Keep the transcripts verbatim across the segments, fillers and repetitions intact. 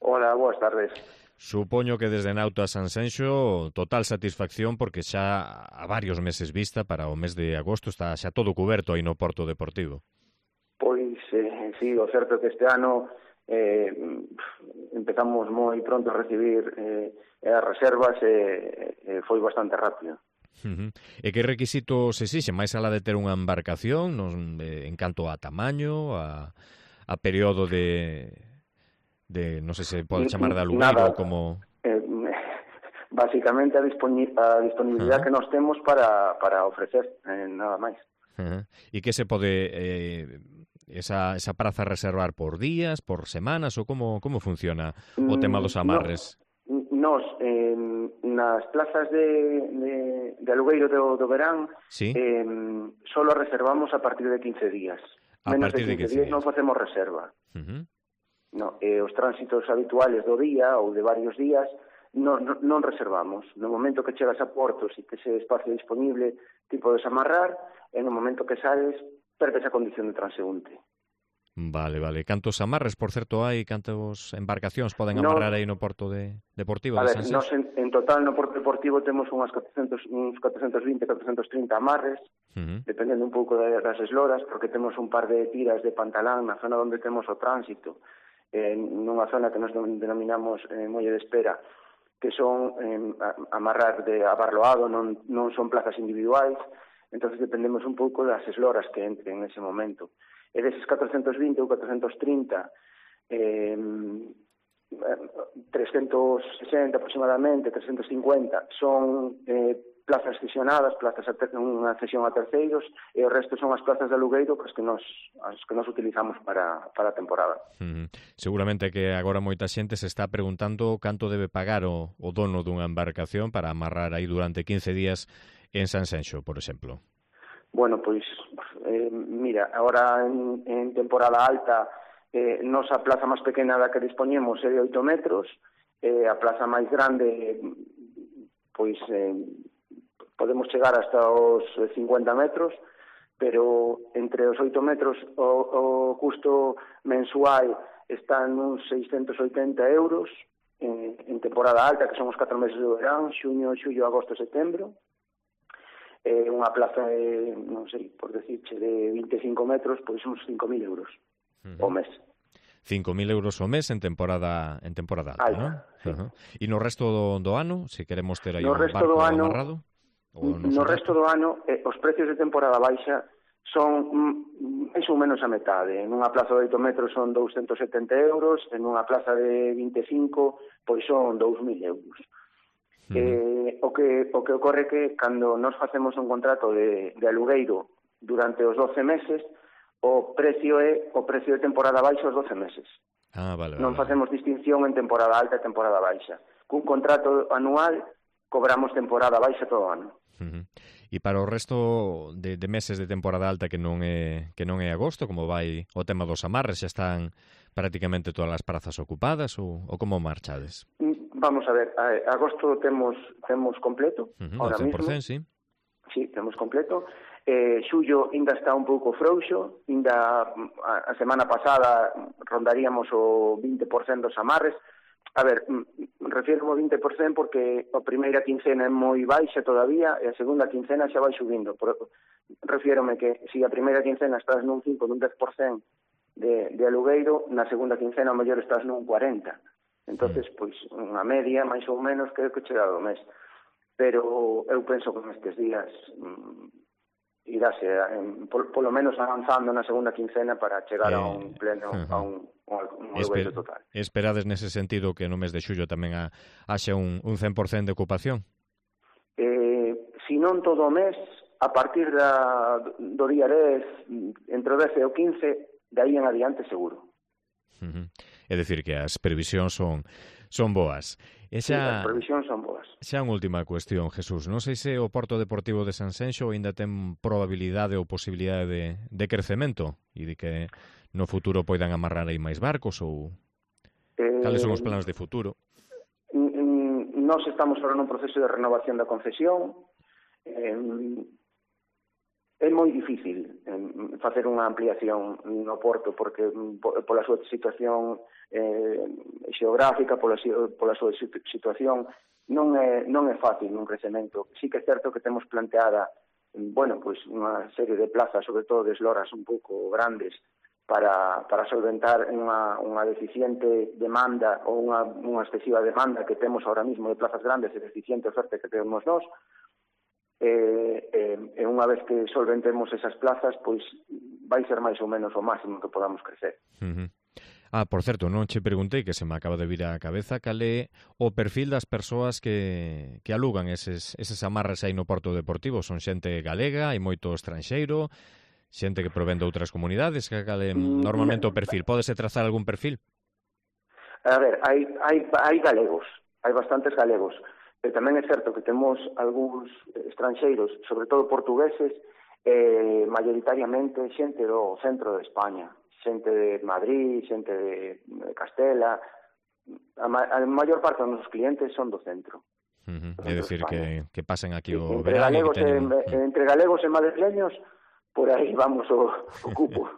Hola, boas tardes. Supoño que desde Nauta a Sanxenxo total satisfacción porque xa a varios meses vista para o mes de agosto está xa todo cuberto aí no Porto Deportivo. Pois, eh, sí, o certo é que este ano eh, empezamos moi pronto a recibir eh, as reservas e eh, eh, foi bastante rápido. Uh-huh. E que requisitos exixen? Máis alá de ter unha embarcación non, eh, en canto a tamaño, a, a período de... de, non sei se pode chamar de alugueiro ou como... Eh, básicamente a, disponi a disponibilidade uh-huh. que nós temos para, para ofrecer, eh, nada máis. Uh-huh. E que se pode eh, esa, esa praza reservar por días, por semanas ou como, como funciona o tema dos amarres? No, nos, eh, nas plazas de, de, de alugueiro do, do verán, ¿sí? eh, solo reservamos a partir de quince días. A Menos partir de quince, de quince días non facemos reserva. Uh-huh. No, eh, os tránsitos habituales do día ou de varios días non, non, non reservamos. No momento que chegas a portos e que ese espacio disponible ti podes amarrar, e no momento que sales perdes a condición de transeúnte. Vale, vale. Cantos amarres, por certo, hai? Cantos embarcacións poden amarrar no, aí no Porto de, Deportivo a de ver, Sanxenxo? Nos en, en total no Porto Deportivo temos unhas catrocentos, uns catrocentos vinte, catrocentos trinta amarres, uh-huh. dependendo un pouco das esloras, porque temos un par de tiras de pantalán na zona onde temos o tránsito, eh, nunha zona que nos denominamos eh, molle de espera, que son eh, amarrar de abarloado, non, non son plazas individuais, entonces dependemos un pouco das esloras que entren en ese momento. E deses catrocentos vinte ou catrocentos trinta, eh, trescentos sesenta aproximadamente, trescentos cincuenta, son eh, plazas cesionadas, plazas a ter, unha cesión a terceiros, e o resto son as plazas de alugueiro as que nos, as que nos utilizamos para, para a temporada. Uh-huh. Seguramente que agora moita xente se está preguntando canto debe pagar o, o dono dunha embarcación para amarrar aí durante quince días en Sanxenxo, por exemplo. Bueno, pois, eh, mira, agora en, en temporada alta, eh, nosa plaza máis pequena da que dispoñemos é de oito metros, eh, a plaza máis grande, pois, eh, podemos chegar hasta os cincuenta metros, pero entre os oito metros o, o custo mensual está uns seiscentos oitenta euros en, en temporada alta, que son os catro meses do verán, xuño, xullo, agosto, setembro. Eh, unha plaza de, non sei, por decirche, de vinte e cinco metros, pois uns cinco mil euros uh-huh. ao mes. cinco mil euros ao mes en temporada en temporada alta, alta, non? Sí. Uh-huh. E no resto do, do ano, se queremos ter aí no un barco ano, amarrado? No, no resto do ano, eh, os precios de temporada baixa son mm, máis ou menos a metade. En unha plaza de oito metros son douscentos setenta euros, en unha plaza de vinte e cinco, pois son dous mil euros. Uh-huh. Eh, o que o que ocorre que cando nos facemos un contrato de, de alugueiro durante os doce meses, o precio é o precio de temporada baixa os doce meses. Ah, vale, vale. Non facemos distinción en temporada alta e temporada baixa. Cun contrato anual cobramos temporada baixa todo o ano. Uh-huh. E para o resto de, de meses de temporada alta que non é que non é agosto, como vai o tema dos amarres, xa están prácticamente todas as prazas ocupadas ou, ou como marchades? Vamos a ver, a, agosto temos temos completo, uh-huh, ahora cen por cento, mismo. Sí. Sí, temos completo. Eh, xullo ainda está un pouco frouxo, ainda a, a semana pasada rondaríamos o vinte por cento dos amarres. A ver, refiro ao vinte por cento porque a primeira quincena é moi baixa todavía e a segunda quincena xa vai subindo. Por, refírome que se a primeira quincena estás nun cinco, nun dez por cento de, de alugueiro, na segunda quincena ao mellor estás nun cuarenta por cento. Entonces, pois, unha media, máis ou menos, creo que chega do mes. Pero eu penso que nestes días mm, iráse, eh, por, polo menos avanzando na segunda quincena para chegar eh, a un pleno, uh-huh. a un, un alugueiro Esper, total. Esperades nese sentido que no mes de xullo tamén a, haxe un, un cen por cento de ocupación? Eh, si non todo o mes, a partir da, do día dez, entre o dez e o quince, de aí en adiante seguro. Uh-huh. É dicir que as previsións son son boas. E xa, sí, as previsións son boas. Xa unha última cuestión, Jesús. Non sei se o Porto Deportivo de Sanxenxo ainda ten probabilidade ou posibilidade de, de crecemento e de que no futuro poidan amarrar aí máis barcos ou eh, cales son os planos de futuro? Nós estamos ahora nun proceso de renovación da concesión. Eh, É moi difícil eh, facer unha ampliación no porto porque pola súa situación eh, xeográfica, pola, pola súa situación non é, non é fácil un crecemento. Sí que é certo que temos planteada bueno, pois unha serie de plazas, sobre todo de esloras un pouco grandes para, para solventar unha, unha deficiente demanda ou unha, unha excesiva demanda que temos ahora mismo de plazas grandes e deficiente oferta que temos nós. E, e, e unha vez que solventemos esas plazas, pois vai ser máis ou menos o máximo que podamos crecer. Uh-huh. Ah, por certo, non che preguntei, que se me acaba de vir á cabeza, cal é o perfil das persoas que, que alugan eses, eses amarres aí no Porto Deportivo. Son xente galega, hai moito estranxeiro, xente que provén de outras comunidades, que cal é normalmente o perfil? Pódese trazar algún perfil? A ver, hai, hai, hai galegos, hai bastantes galegos. Pero tamén é certo que temos algúns estranxeiros, sobre todo portugueses, eh, maioritariamente xente do centro de España, xente de Madrid, xente de Castela. A, ma a maior parte dos nosos clientes son do centro. Uh -huh. É dicir, que, que pasen aquí o entre verán galegos e que teñen... e, entre galegos e madrileños, por aí vamos o, o cupo.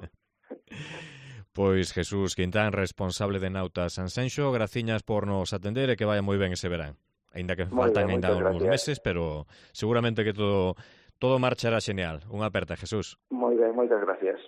Pois Jesús Quintán, responsable de Nauta Sanxenxo, graciñas por nos atender e que vaya moi ben ese verán. Ainda que Muy faltan bien, ainda algúns gracias. meses, pero seguramente que todo todo marchará xeneal. Unha aperta, Jesús. Moi ben, moitas gracias.